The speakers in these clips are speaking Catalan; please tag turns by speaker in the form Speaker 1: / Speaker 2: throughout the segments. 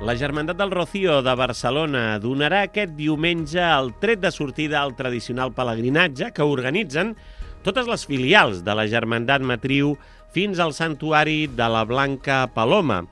Speaker 1: La Germandat del Rocío de Barcelona donarà aquest diumenge el tret de sortida al tradicional pelegrinatge que organitzen totes les filials de la Germandat Matriu fins al santuari de la Blanca Paloma,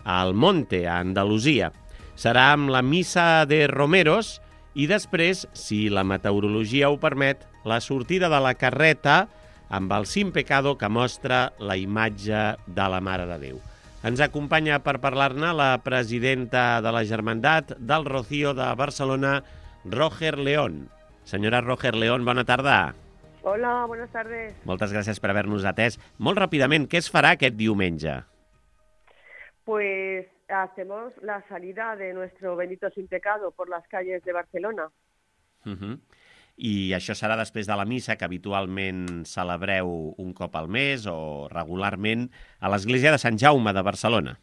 Speaker 1: al Monte, a Andalusia. Serà amb la Missa de Romeros i després, si la meteorologia ho permet, la sortida de la carreta amb el Sin Pecado que mostra la imatge de la Mare de Déu. Ens acompanya per parlar-ne la presidenta de la Germandat del Rocío de Barcelona, Roger León. Senyora Roger León, bona tarda.
Speaker 2: Hola, buenas tardes.
Speaker 1: Moltes gràcies per haver-nos atès. Molt ràpidament, què es farà aquest diumenge?
Speaker 2: Pues hacemos la salida de nuestro Benito Sin Pecado por las calles de Barcelona.
Speaker 1: I això serà després de la missa que habitualment celebreu un cop al mes o regularment a l'església de Sant Jaume de Barcelona.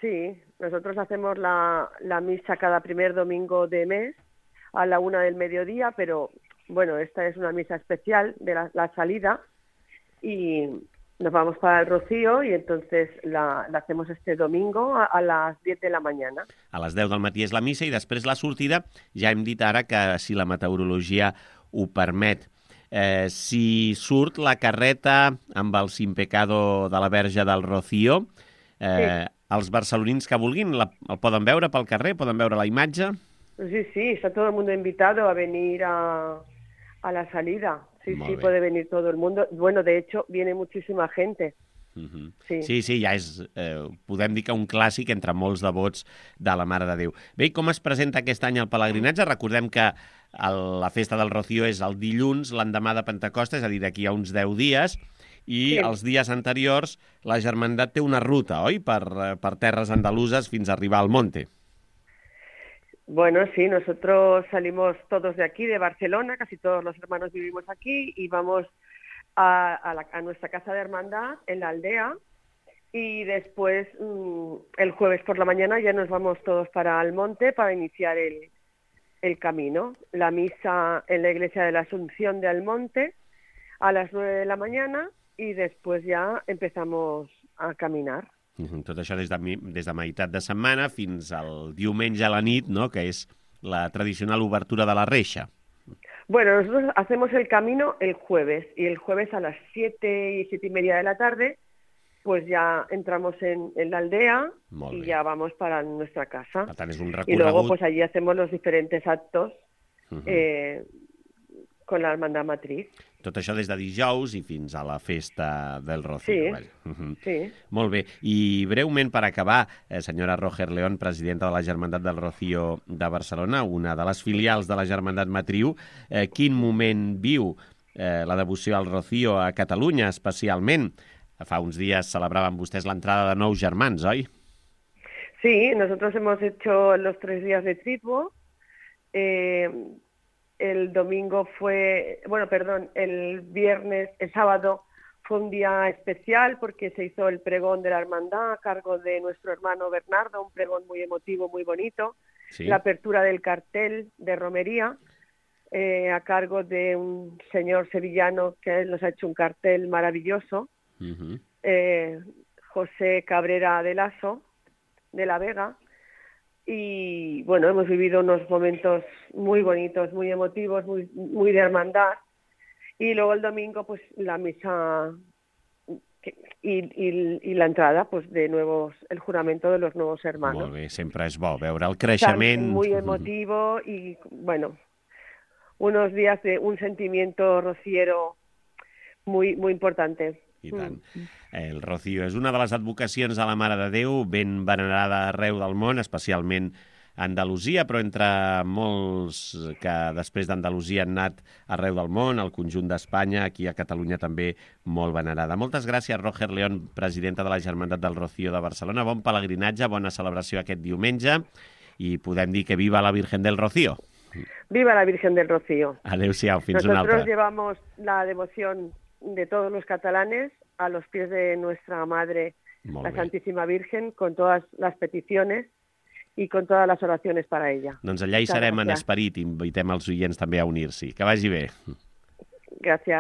Speaker 2: Sí, nosotros hacemos la misa cada primer domingo de mes a la 1 del mediodía, pero bueno, esta es una misa especial de la salida y nos vamos para el Rocío y entonces la hacemos este domingo a las 10 de la mañana.
Speaker 1: A les 10 del matí és la missa i després la sortida. Ja hem dit ara que si la meteorologia ho permet. Si surt la carreta amb el Sin Pecado de la Verge del Rocío,
Speaker 2: sí.
Speaker 1: Els barcelonins que vulguin el poden veure pel carrer, poden veure la imatge?
Speaker 2: Sí, está todo el mundo invitado a venir a la salida. Sí, puede venir todo el mundo. Bueno, de hecho, viene muchísima gente.
Speaker 1: Sí, ja és, podem dir que un clàssic entre molts devots de la Mare de Déu. Bé, i com es presenta aquest any el pelegrinatge? Recordem que la festa del Rocío és el dilluns, l'endemà de Pentecosta, és a dir, d'aquí a uns 10 dies, i els dies anteriors la Germandat té una ruta, oi?, per terres andaluses fins a arribar al Monte.
Speaker 2: Bueno, sí, nosotros salimos todos de aquí, de Barcelona, casi todos los hermanos vivimos aquí y vamos a nuestra casa de hermandad en la aldea y después el jueves por la mañana ya nos vamos todos para el monte para iniciar el camino. La misa en la iglesia de la Asunción de Almonte a las 9 de la mañana y después ya empezamos a caminar.
Speaker 1: Tot això des de meitat de setmana fins al diumenge a la nit, no?, que és la tradicional obertura de la reixa.
Speaker 2: Bueno, nosotros hacemos el camino el jueves y el jueves a las 7 y 7:30 de la tarde pues ya entramos en la aldea y ya vamos para nuestra casa.
Speaker 1: Per tant, és un recorregut...
Speaker 2: Y luego pues allí hacemos los diferentes actos con la hermandad matriz.
Speaker 1: Tot això des de dijous i fins a la festa del Rocío.
Speaker 2: Sí.
Speaker 1: Molt bé. I breument, per acabar, senyora Roger León, presidenta de la Germandat del Rocío de Barcelona, una de les filials de la Germandat Matriu, quin moment viu la devoció al Rocío a Catalunya, especialment? Fa uns dies celebraven vostès l'entrada de nous germans, oi?
Speaker 2: Sí, nosotros hemos hecho los 3 días de Triduo. El sábado fue un día especial porque se hizo el pregón de la hermandad a cargo de nuestro hermano Bernardo, un pregón muy emotivo, muy bonito. Sí. La apertura del cartel de romería a cargo de un señor sevillano que nos ha hecho un cartel maravilloso, José Cabrera de Lasso, de la Vega. Y bueno, hemos vivido unos momentos muy bonitos, muy emotivos, muy de hermandad. Y luego el domingo, pues la misa y la entrada, pues de nuevos, el juramento de los nuevos hermanos.
Speaker 1: Molt bé, sempre és bo veure el creixement.
Speaker 2: Muy emotivo y bueno, unos días de un sentimiento rociero muy importante.
Speaker 1: I tant. El Rocío és una de les advocacions de la Mare de Déu, ben venerada arreu del món, especialment a Andalusia, però entre molts que després d'Andalusia han anat arreu del món, al conjunt d'Espanya, aquí a Catalunya també molt venerada. Moltes gràcies, Roger León, presidenta de la Germandat del Rocío de Barcelona. Bon pelegrinatge, bona celebració aquest diumenge i podem dir que viva la Virgen del Rocío.
Speaker 2: Viva la Virgen del Rocío.
Speaker 1: Adéu-siau, fins una altra.
Speaker 2: Nosotros llevamos la devoción de todos los catalanes a los pies de nuestra Madre, la Santísima Virgen, con todas las peticiones y con todas las oraciones para ella.
Speaker 1: Doncs allà hi serem en esperit i invitem els oients també a unir-s'hi. Que vagi bé.
Speaker 2: Gràcies.